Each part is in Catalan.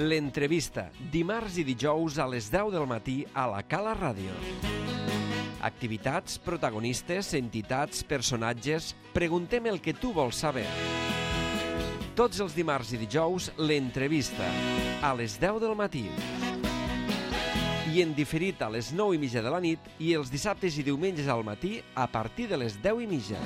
L'entrevista, dimarts i dijous a les 10 del matí a la Cala Ràdio. Activitats, protagonistes, entitats, personatges... Preguntem el que tu vols saber. Tots els dimarts i dijous, l'entrevista, a les 10 del matí. I en diferit a les 9:30 de la nit i els dissabtes i diumenges al matí a partir de les 10:30.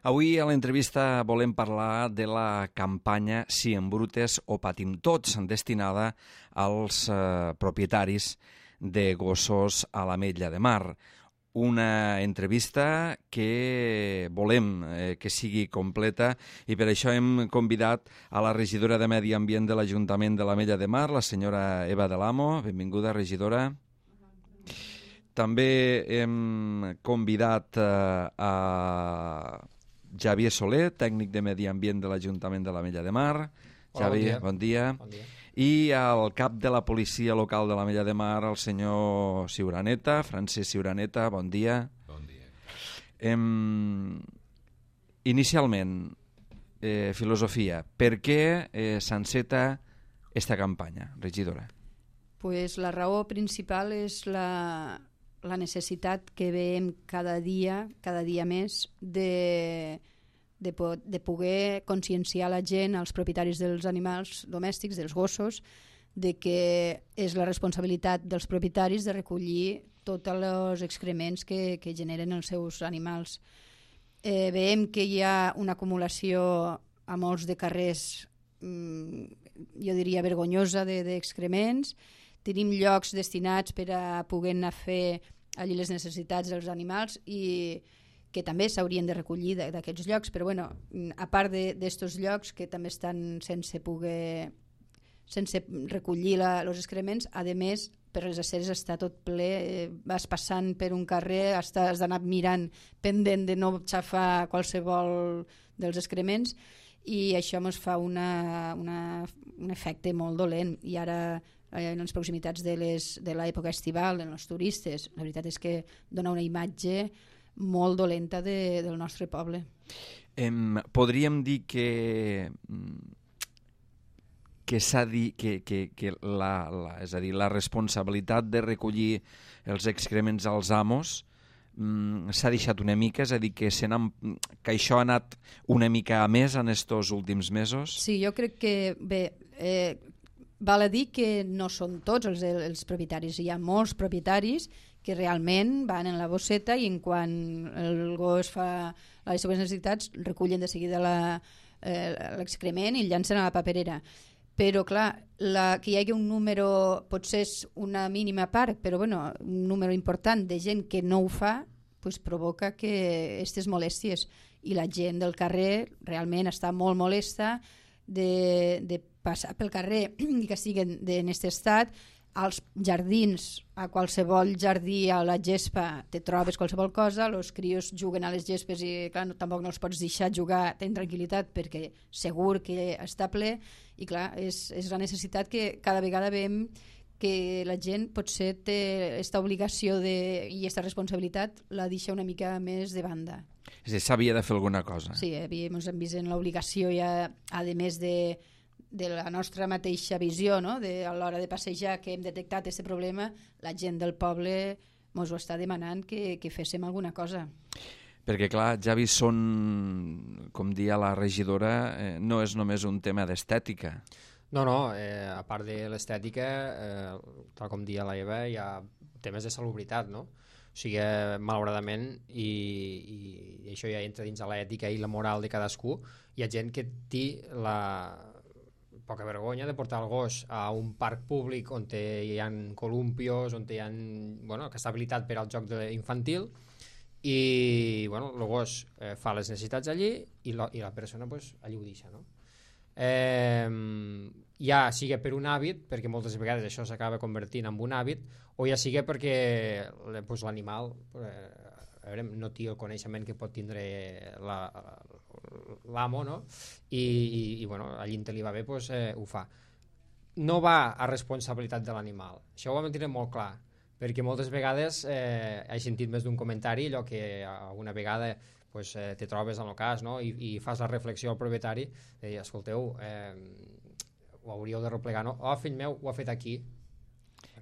Avui a l'entrevista volem parlar de la campanya Si embrutes o patim tots, destinada als propietaris de gossos a l'Ametlla de Mar. Una entrevista que volem que sigui completa i per això hem convidat a la regidora de Medi Ambient de l'Ajuntament de l'Ametlla de Mar, la senyora Eva de l'Amo. Benvinguda, regidora. També hem convidat a Xavier Soler, tècnic de Medi Ambient de l'Ajuntament de l'Ametlla de Mar. Xavier, bon dia. Bon dia. I al cap de la policia local de l'Ametlla de Mar, el senyor Ciuraneta, Francesc Ciuraneta, bon dia. Bon dia. Inicialment, filosofia, per què s'enceta esta campanya, regidora? Pues la raó principal és la necessitat que veiem cada dia més de poder conscienciar la gent, als propietaris dels animals domèstics, dels gossos, de que és la responsabilitat dels propietaris de recollir tots els excrements que generen els seus animals. Veiem que hi ha una acumulació a molts de carrers, jo diria vergonyosa, d'excrements. Tenim llocs destinats per a poder anar a fer allí les necessitats dels animals i que també s'haurien de recollir d'aquests llocs, però bueno, a part d'estos llocs que també estan sense recollir els excrements, a més, per les aceres està tot ple, vas passant per un carrer, has d'anar mirant pendent de no xafar qualsevol dels excrements i això ens fa un efecte molt dolent. I ara en les proximitats de l'època estival, en els turistes, la veritat és que dona una imatge molt dolenta del nostre poble. Podríem dir que s'ha dit que és a dir, la responsabilitat de recollir els excrements als amos s'ha deixat una mica, és a dir, que això ha anat una mica a més en estos últims mesos? Sí, jo crec que, bé, val a dir que no són tots els propietaris. Hi ha molts propietaris que realment van en la bosseta i en quan el gos fa les seves necessitats recullen de seguida l'excrement i el llancen a la paperera. Però clar, que hi hagi un número, potser és una mínima part, però bueno, un número important de gent que no ho fa, pues provoca que aquestes molèsties, i la gent del carrer realment està molt molesta de passar pel carrer i que siguin en aquest estat. Als jardins, a qualsevol jardí, a la gespa, te trobes qualsevol cosa, els crios juguen a les gespes i clar, tampoc no els pots deixar jugar en tranquil·litat perquè segur que està ple i clar, és la necessitat que cada vegada veiem que la gent potser té aquesta obligació i aquesta responsabilitat la deixa una mica més de banda. És a dir, s'havia de fer alguna cosa. Sí, ens hem vist en l'obligació ja, a més de la nostra mateixa visió, no? A l'hora de passejar, que hem detectat aquest problema, la gent del poble ens ho està demanant que féssim alguna cosa. Perquè clar, Javi, com dia la regidora, no és només un tema d'estètica. No, a part de l'estètica, tal com dia la Eva, hi ha temes de salubritat, no? O sigui, malauradament, i això ja entra dins de l'ètica i la moral de cadascú, hi ha gent que té la poca vergonya de portar el gos a un parc públic on hi ha columpios, on hi ha, que està habilitat per al joc infantil i el gos fa les necessitats allí i la persona allí ho deixa, no? Ja sigui per un hàbit, perquè moltes vegades això s'acaba convertint en un hàbit, o ja sigui perquè l'animal no té el coneixement que pot tindre l'amo, no? I allí on li va bé ho fa. No va a responsabilitat de l'animal, això ho hem de tenir molt clar, perquè moltes vegades he sentit més d'un comentari allò que alguna vegada pues, te trobes en el cas, no? I fas la reflexió al propietari de dir, escolteu, ho hauríeu de replegar, no? Oh, fill meu, ho ha fet aquí.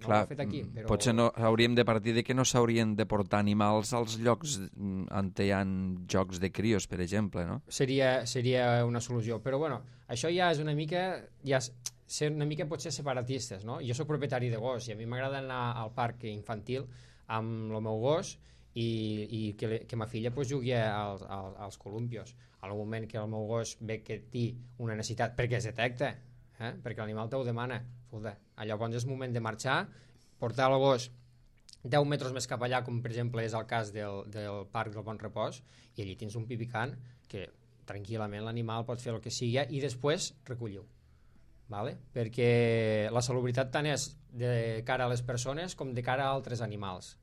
No Clar, ho ha fet aquí, però... potser no, hauríem de partir de que no s'haurien de portar animals als llocs on hi ha jocs de crios, per exemple, no? Seria una solució, però bueno, això ja és una mica... ser una mica potser separatistes, no? Jo sóc propietari de gos i a mi m'agrada anar al parc infantil amb el meu gos i que ma filla pues, jugui als columpios. Al moment que el meu gos ve que té una necessitat, perquè es detecta, perquè l'animal te ho demana, escolta, llavors és moment de marxar, portar el gos 10 metres més cap allà, com per exemple és el cas del Parc del Bon Repòs, i allí tens un pipicant que tranquil·lament l'animal pot fer el que sigui i després recollir-ho. Vale? Perquè la salubritat tant és de cara a les persones com de cara a altres animals.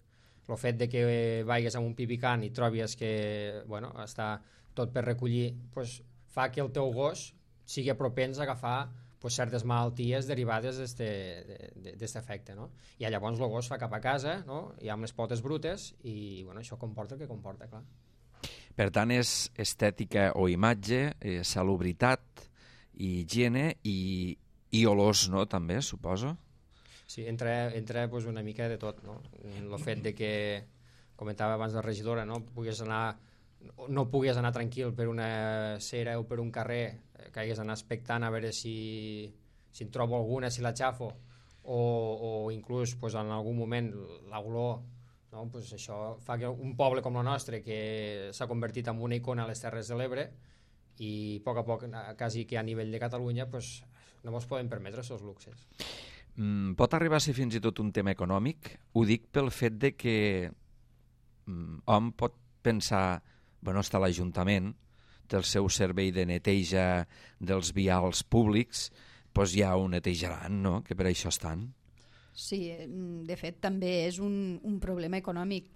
El fet de que vagis amb un pipicant i trobis que bueno, està tot per recollir pues, fa que el teu gos sigui propens a agafar pues, certes malalties derivades d'aquest efecte. No? I llavors el gos fa cap a casa, no? I amb les potes brutes i bueno, això comporta el que comporta, clar. Per tant, és estètica o imatge, salubritat, i higiene i olors, no?, també, suposo? Sí, entra pues, una mica de tot, no? El fet de que, comentava abans la regidora, no puguis anar tranquil per una cera o per un carrer, que hagués d'anar expectant a veure si en trobo alguna, si la xafo, o inclús pues, en algun moment l'olor, no? Pues això fa que un poble com el nostre, que s'ha convertit en una icona a les Terres de l'Ebre, i a poc, quasi que a nivell de Catalunya, pues, no ens podem permetre aquests luxes. Pot arribar a ser fins i tot un tema econòmic? Ho dic pel fet de que hom pot pensar, bueno, està l'Ajuntament, té el seu servei de neteja dels vials públics, doncs ja ho netejaran, no?, que per això estan. Sí, de fet també és un problema econòmic.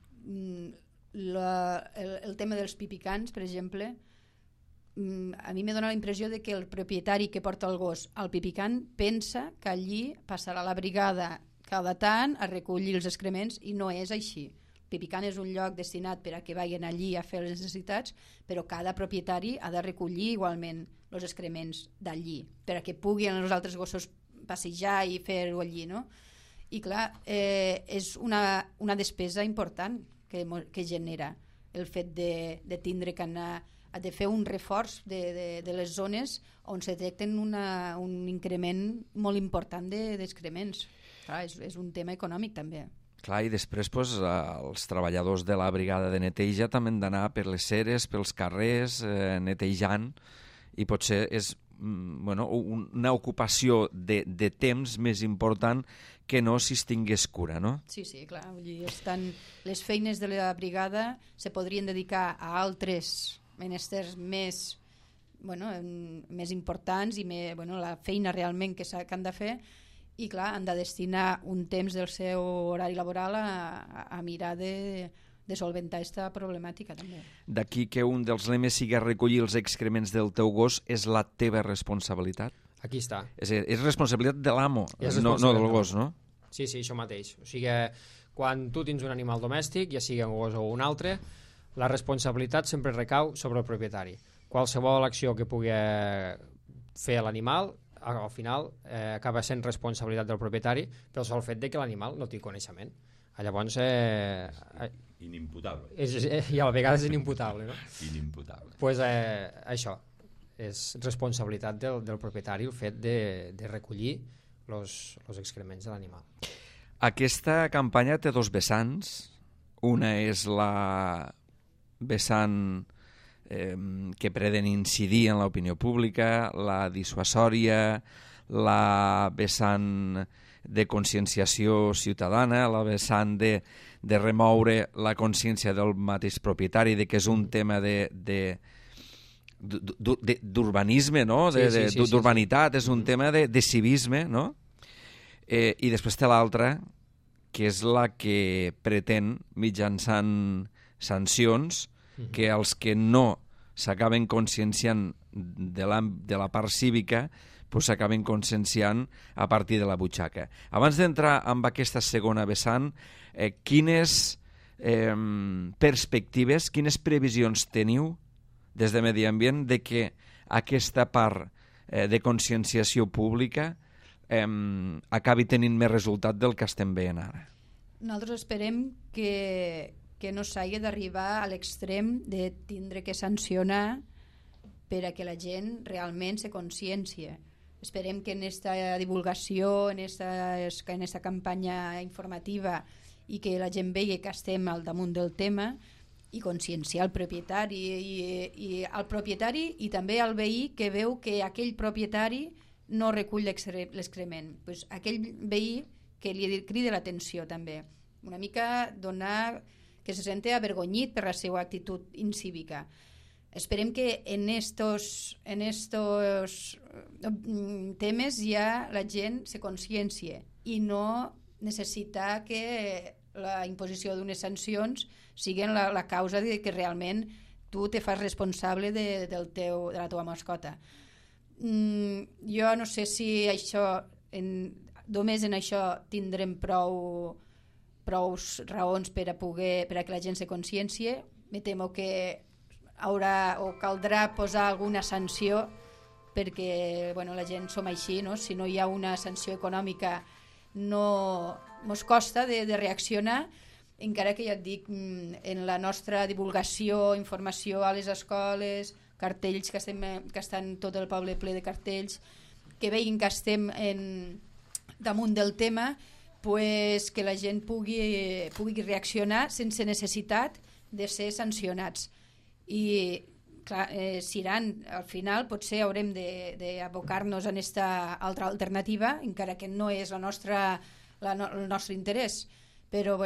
El tema dels pipicants, per exemple, a mi m'ha donat la impressió de que el propietari que porta el gos al pipicant pensa que allí passarà la brigada cada tant a recollir els excrements i no és així. El pipicant és un lloc destinat per a que vagin allí a fer les necessitats, però cada propietari ha de recollir igualment els excrements d'allí per a que puguin els altres gossos passejar i fer-ho allí, no? I clar, és una despesa important que genera el fet de tindre que anar ha de fer un reforç de les zones on se detecten un increment molt important d'excrements. Clar, és un tema econòmic també. Clar, i després doncs, els treballadors de la brigada de neteja també han d'anar per les ceres, pels carrers, netejant, i potser és una ocupació de temps més important que no si es tingués cura, no? Sí, clar. Les feines de la brigada se podrien dedicar a altres menesters més importants i la feina realment que han de fer, i clar, han de destinar un temps del seu horari laboral a mirar de solventar aquesta problemàtica també. D'aquí que un dels lemes sigui recollir els excrements del teu gos és la teva responsabilitat? Aquí està. És responsabilitat de l'amo, no del gos, no? Sí, això mateix. O sigui, quan tu tens un animal domèstic, ja sigui un gos o un altre, la responsabilitat sempre recau sobre el propietari. Qualsevol acció que pugui fer l'animal, al final acaba sent responsabilitat del propietari pel sol fet de que l'animal no té coneixement. Llavors... inimputable. I a la vegada és inimputable, no? Inimputable. Doncs això, és responsabilitat del propietari el fet de recollir els excrements de l'animal. Aquesta campanya té dos vessants. Una és la vessant que pretén incidir en l'opinió pública, la dissuasòria, la vessant de conscienciació ciutadana, la vessant de remoure la consciència del mateix propietari, de que és un tema d'urbanisme, no? D'urbanitat, és un tema de civisme, no? I després té l'altra, que és la que pretén, mitjançant sancions, que els que no s'acaben conscienciant de la part cívica s'acaben conscienciant a partir de la butxaca. Abans d'entrar en aquesta segona vessant, quines perspectives, quines previsions teniu des de Medi Ambient de que aquesta part de conscienciació pública acabi tenint més resultat del que estem veient ara? Nosaltres esperem que no s'hagi d'arribar a l'extrem de tindre que sancionar per a que la gent realment se consciència. Esperem que en esta divulgació, en esta campanya informativa, i que la gent vegi que estem al damunt del tema, i conscienciar el propietari i també al veí que veu que aquell propietari no recull l'excrement. Pues aquell veí que li crida l'atenció també. Una mica donar que se sente avergonyit per la seva actitud incívica. Esperem que en estos temes ja la gent se consciencie i no necessitar que la imposició d'unes sancions siguin la causa de que realment tu te fas responsable de la teva mascota. Jo no sé si només en això tindrem prou raons per a que la gent se consciencie. Me temo que caldrà posar alguna sanció perquè la gent som així, no? Si no hi ha una sanció econòmica no mos costa de reaccionar, encara que ja et dic, en la nostra divulgació, informació a les escoles, cartells que estan tot el poble ple de cartells, que veguin que estem damunt del tema, pues que la gent pugui reaccionar sense necessitat de ser sancionats. I clar, al final potser haurem d'abocar-nos en aquesta altra alternativa, encara que no és el nostre interès, però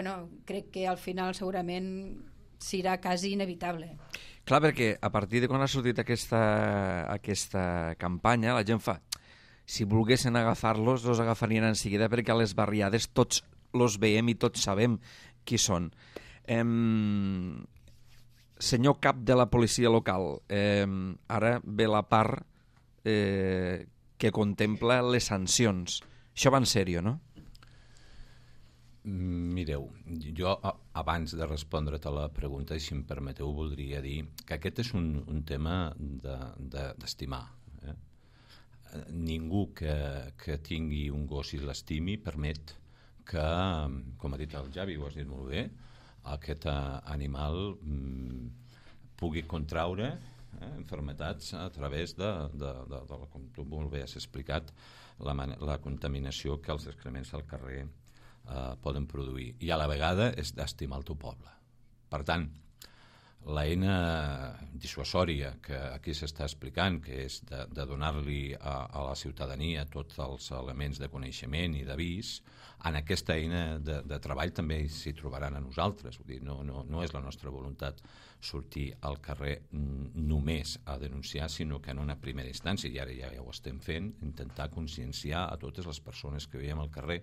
crec que al final segurament serà quasi inevitable. Clar, perquè a partir de quan ha sortit aquesta campanya, la gent fa... Si volguessin agafar-los, els agafarien en seguida, perquè a les barriades tots els veiem i tots sabem qui són. Senyor cap de la policia local, ara ve la part que contempla les sancions. Això va en sèrio, no? Mireu, jo abans de respondre't a la pregunta, si em permeteu, voldria dir que aquest és un tema d'estimar. Ningú que tingui un gos i l'estimi permet que, com ha dit el Javi, ho has dit molt bé, aquest animal pugui contraure malalties a través de, com tu molt bé has explicat, la contaminació que els excrements al carrer poden produir. I a la vegada és d'estimar el teu poble. Per tant, l'eina dissuasòria que aquí s'està explicant, que és de donar-li a la ciutadania tots els elements de coneixement i d'avís, en aquesta eina de treball també s'hi trobaran a nosaltres. Vull dir, no és la nostra voluntat sortir al carrer només a denunciar, sinó que en una primera instància, i ara ja ho estem fent, intentar conscienciar a totes les persones que veiem al carrer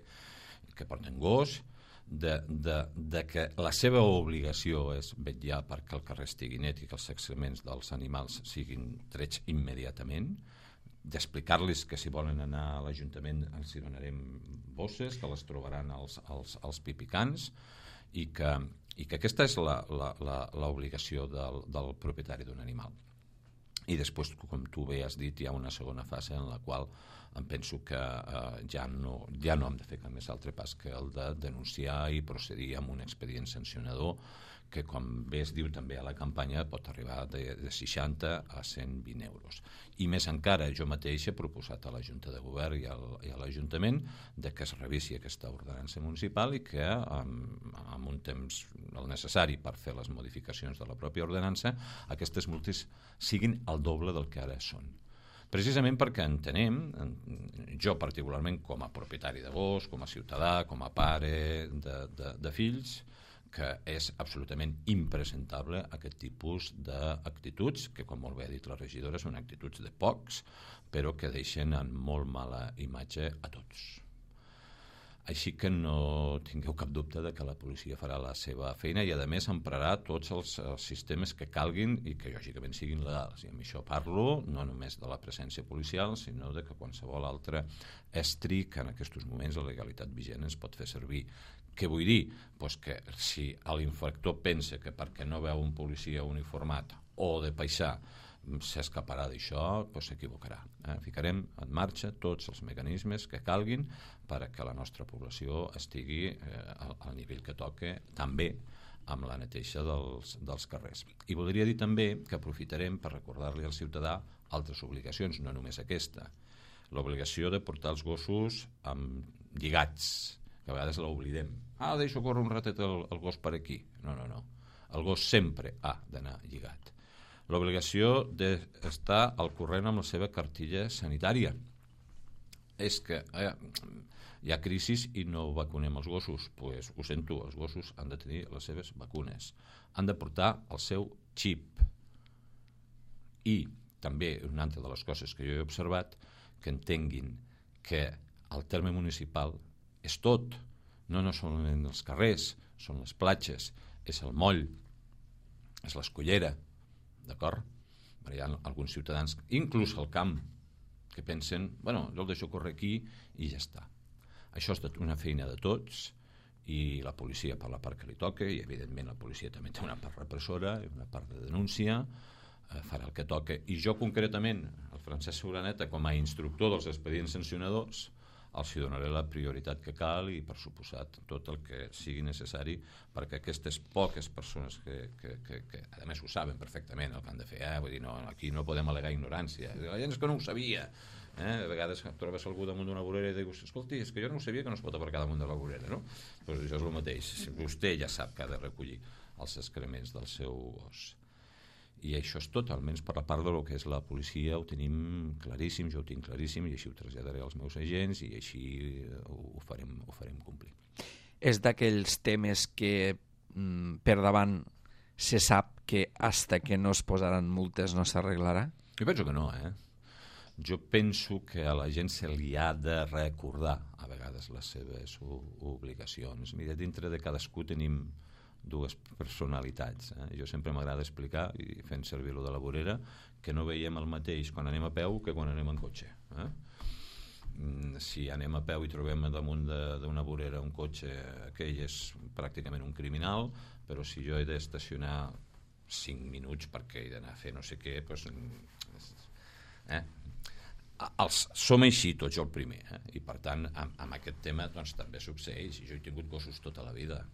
que porten gos, de que la seva obligació és vetllar perquè el carrer estigui net i que els excrements dels animals siguin trets immediatament, d'explicar-los que si volen anar a l'Ajuntament els hi donarem bosses, que les trobaran als pipicans, i que aquesta és l'obligació del propietari d'un animal. I després, com tu bé has dit, hi ha una segona fase en la qual em penso que ja no hem de fer cap més altre pas que el de denunciar i procedir amb un expedient sancionador que, com bé es diu també a la campanya, pot arribar de 60 a 120 euros. I més encara, jo mateix he proposat a la Junta de Govern i a l'Ajuntament que es revisi aquesta ordenança municipal i que amb un temps el necessari per fer les modificacions de la pròpia ordenança aquestes multes siguin el doble del que ara són. Precisament perquè entenem, jo particularment com a propietari de gos, com a ciutadà, com a pare de fills, que és absolutament impresentable aquest tipus d'actituds, que com molt bé ha dit la regidora són actituds de pocs, però que deixen en molt mala imatge a tots. Així que no tingueu cap dubte de que la policia farà la seva feina i a més emprarà tots els sistemes que calguin i que lògicament siguin legals. I amb això parlo no només de la presència policial, sinó de que qualsevol altre estri que en aquests moments la legalitat vigent ens pot fer servir, Què vull dir? Pues que si l'infractor pensa que perquè no veu un policia uniformat o de paisà s'escaparà d'això, doncs s'equivocarà. Ficarem en marxa tots els mecanismes que calguin perquè la nostra població estigui al nivell que toca, també amb la neteja dels carrers. I voldria dir també que aprofitarem per recordar-li al ciutadà altres obligacions, no només aquesta. L'obligació de portar els gossos lligats, que a vegades l'oblidem. Deixo córrer un ratet el gos per aquí. No. El gos sempre ha d'anar lligat. L'obligació d'estar al corrent amb la seva cartilla sanitària. És que hi ha crisis i no vacunem els gossos. Doncs ho sento, els gossos han de tenir les seves vacunes. Han de portar el seu xip. I també una altra de les coses que jo he observat, que entenguin que el terme municipal és tot. No solament els carrers, són les platges, és el moll, és l'escollera, d'acord? Hi ha alguns ciutadans, inclús al camp, que pensen, jo el deixo córrer aquí i ja està. Això és una feina de tots i la policia per la part que li toca, i evidentment la policia també té una part repressora i una part de denúncia, farà el que toca. I jo concretament, el Francesc Sobraneta, com a instructor dels expedients sancionadors, els hi donaré la prioritat que cal i, per suposat, tot el que sigui necessari perquè aquestes poques persones que a més ho saben perfectament el que han de fer, vull dir, aquí no podem al·legar ignorància, la gent és que no ho sabia, a vegades trobes algú damunt d'una vorera i dius, escolti, és que jo no ho sabia que no es pot aparcar damunt de la vorera, no? Doncs això és el mateix, vostè ja sap que ha de recollir els excrements del seu gos. I això és tot, almenys per la part del que és la policia ho tenim claríssim, jo ho tinc claríssim i així ho traslladaré als meus agents i així ho farem complir. És d'aquells temes que per davant se sap que hasta que no es posaran multes no s'arreglarà? Jo penso que no, Jo penso que a la gent se li ha de recordar a vegades les seves obligacions. Mira, dintre de cadascú tenim dues personalitats. Jo sempre m'agrada explicar, i fent servir lo de la vorera, que no veiem el mateix quan anem a peu que quan anem en cotxe. Si anem a peu i trobem damunt d'una vorera un cotxe, aquell és pràcticament un criminal, però si jo he d'estacionar 5 minuts perquè he d'anar a fer no sé què, doncs... som així tots el primer, i per tant amb aquest tema doncs també succeeix, i jo he tingut gossos tota la vida.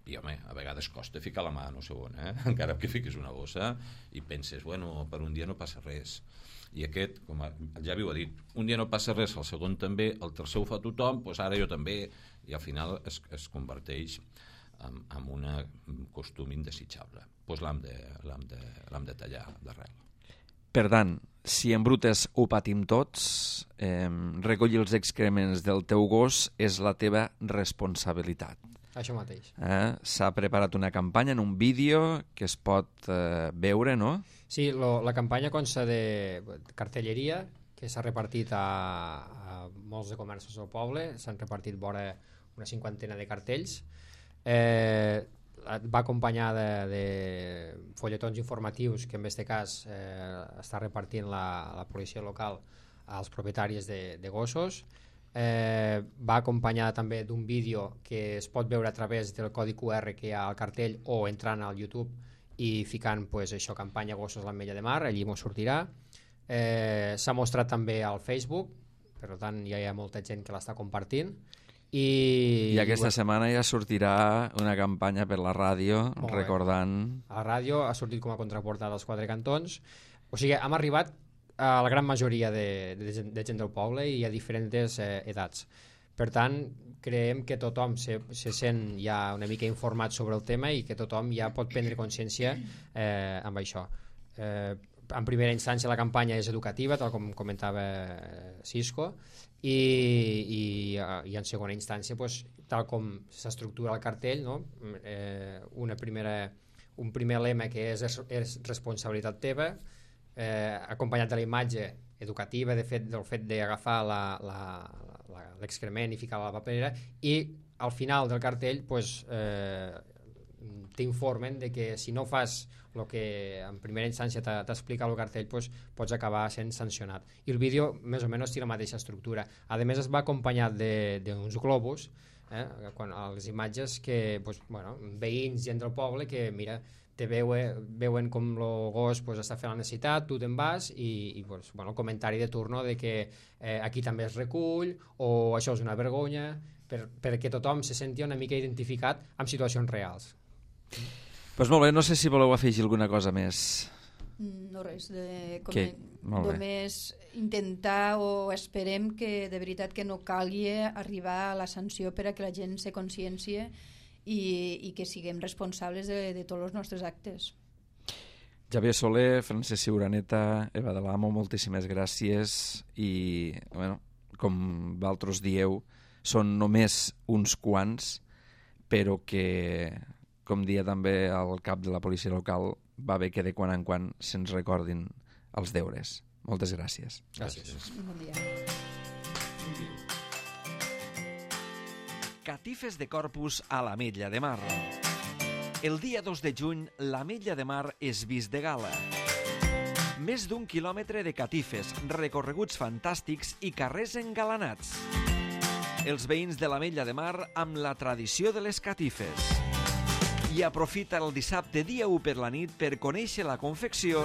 I, home, a vegades costa ficar la mà no sé on, encara que fiquis una bossa i penses, per un dia no passa res. I aquest, com el Javi ho ha dit, un dia no passa res, el segon també, el tercer ho fa tothom, doncs ara jo també, i al final es converteix en un costum indesitjable. Doncs l'hem de tallar d'arrel. Per tant, si embrutes ho patim tots, recollir els excrements del teu gos és la teva responsabilitat. Això mateix. S'ha preparat una campanya en un vídeo que es pot veure, no? Sí, la campanya consta de cartelleria que s'ha repartit a molts de comerços del poble, s'han repartit vora una 50 de cartells. Va acompanyada de folletons informatius que en aquest cas està repartint la policia local als propietaris de gossos. Va acompanyada també d'un vídeo que es pot veure a través del codi QR que hi ha al cartell o entrant al YouTube i ficant això, campanya gossos a l'Ametlla de Mar, allí m'ho sortirà. S'ha mostrat també al Facebook, per tant ja hi ha molta gent que l'està compartint. I aquesta setmana ja sortirà una campanya per la ràdio recordant... A la ràdio ha sortit com a contraportada als 4 cantons, o sigui, hem arribat a la gran majoria de gent del poble i a diferents edats. Per tant, creiem que tothom se sent ja una mica informat sobre el tema i que tothom ja pot prendre consciència amb això. En primera instància la campanya és educativa, tal com comentava Cisco, i en segona instància, tal com s'estructura el cartell, un primer lema que és responsabilitat teva, acompanyat de la imatge educativa del fet d'agafar l'excrement i ficar-lo a la paperera, i al final del cartell t'informen de que si no fas el que en primera instància t'explica el cartell, pots acabar sent sancionat. I el vídeo més o menys té la mateixa estructura. A més es va acompanyat d'uns globus quan a les imatges que veïns, gent del poble que mira, te veuen com el gos està fent la necessitat, tu te'n vas i el comentari de turno de que aquí també es recull o això és una vergonya, perquè tothom se senti una mica identificat amb situacions reals. Doncs molt bé, no sé si voleu afegir alguna cosa més. No res, només intentar o esperem que de veritat que no calgui arribar a la sanció per a que la gent se consciencie i que siguem responsables de tots els nostres actes. Javier Soler, Francesc Ciuraneta, Eva de l'Amo, moltíssimes gràcies i, com vosaltres dieu, són només uns quants, però que, com dia també el cap de la policia local, va bé que de quan en quan se'ns recordin els deures. Moltes gràcies. Gràcies. Bon dia. Catifes de Corpus a l'Ametlla de Mar. El dia 2 de juny, l'Ametlla de Mar és vist de gala. Més d'1 quilòmetre de catifes, recorreguts fantàstics i carrers engalanats. Els veïns de l'Ametlla de Mar amb la tradició de les catifes. I aprofita el dissabte dia 1 per la nit per conèixer la confecció